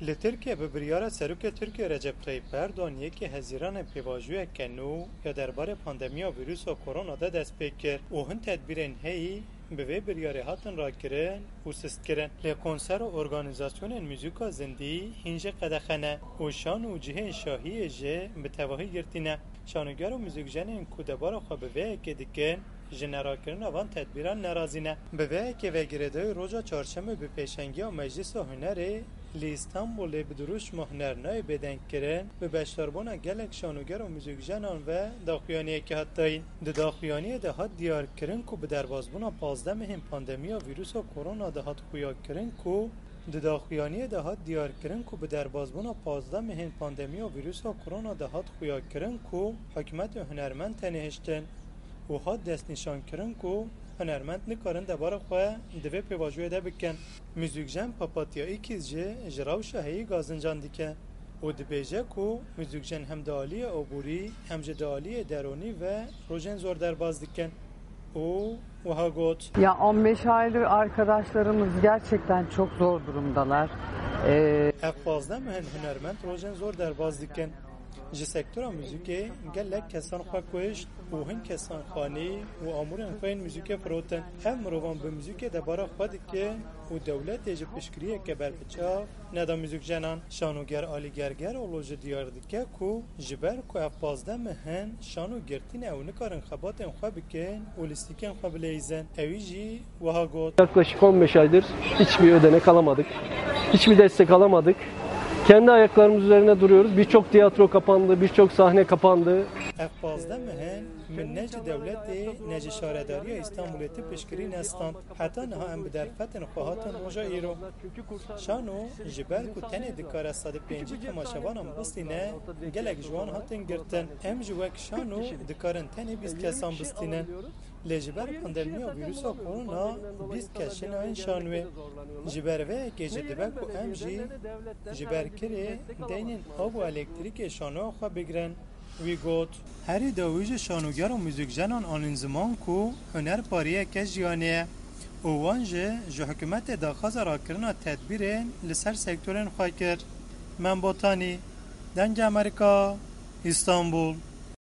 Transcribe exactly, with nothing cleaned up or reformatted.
Li Tirkiye bi biryara Serokê Tirkiye Recep Tayyip Erdogan yekê Hezîranê pêvajoyeke nû ya derbarê pandemiya vîrusa korona de dest pê kir û hin tedbîrên heyî bi vê biryarê hatin rakirin û sistkirin. Lê konser û organîzasyonên muzîka zindî hîn jî qedexe ne û şan û cihên şahiyê jî bi tevahî girtî ne. Şanoger û muzîkjenên ku debara xwe bi vê yekê dikin, ji nerakirina van tedbîran nerazî ne. Bi vê yekê ve girêdayî roja çarşemê bi pêşengiya Meclisa Hunerê li Îstanbulê bi dirûşma Huner nayê bêdengkirin, bi beşdarbûna gelek şanoger û muzîkjenan ve daxuyaniyekê hat dayîn. Di daxuyaniyê de hat diyarkirin ku bi derbazbûna pazdeh mehên pandemiya vîrusa korona de hat xuyakirin ku Di daxuyaniyê de hat diyarkirin ku bi derbazbûna pazdeh mehên pandemiya vîrusa korona de hat xuyakirin ku hikûmet û hunermend tenê hiştin û hat destnîşankirin ku hunermend nikarin debara xwe di vê pêvajoyê de bikin. Muzîkjen Papatya Îkîz jî ji rewşa heyî gazincan dike û dibêje ku muzîkjen hem di aliyê aborî hem jî di aliyê deronî ve rojên zor derbaz dikin û wiha got. Ya on beş aydır arkadaşlarımız gerçekten çok zor durumdalar. Ee, Ev pazdeh meh in hunermend rojên zor derbaz dikin. Ji sektora muzîkê gelek kesan xwe kuşt û hin kesan xanî û amûrên xwe yên muzîkê firotin. Ev mirovan bi muzîkê debara xwe dikin û dewletê ji piştgiriyeke berbiçav neda muzîkjenan. Şanoger Alî Gergeroglu jî diyar dike ku ji ber ku ev pazdeh meh in şano girtî ne, ew nikarin xebatên xwe bikin û lîstikên xwe bileyîzin. Ewî jî wiha got. Yaklaşık on beş aydır hiçbir ödenek alamadık. Hiçbir destek alamadık. Kendi ayaklarımız üzerine duruyoruz. Birçok tiyatro kapandı, birçok sahne kapandı. Ev pazdeh meh in min ne ji dewletê ne ji şaredariya Îstanbulê ti piştgirî nestand. Heta niha em bi derfetên xwe hatin roja îro. Şano ji ber ku tenê dikare sedî pêncî temaşevanan bistîne, gelek ji wan hatin girtin. Em jî wek şano dikarin tenê bîst kesan bistînin. Lê ji ber pandemiya vîrusa korona bîst kes jî nayên şanoyê. Ji ber vê yekê jî dibe ku em jî ji ber kirê deynên av û elektrîkê şanoya xwe bigirin. Wî got. Herî dawî jî şanoger û muzîkjenan anîn ziman ku huner pariyeke jiyanê ye û wan jî ji hikûmetê daxwaza rakirina tedbîrên li ser sektorên xwe kir. Mem Botanî, Dengê Amerîka, Îstanbul.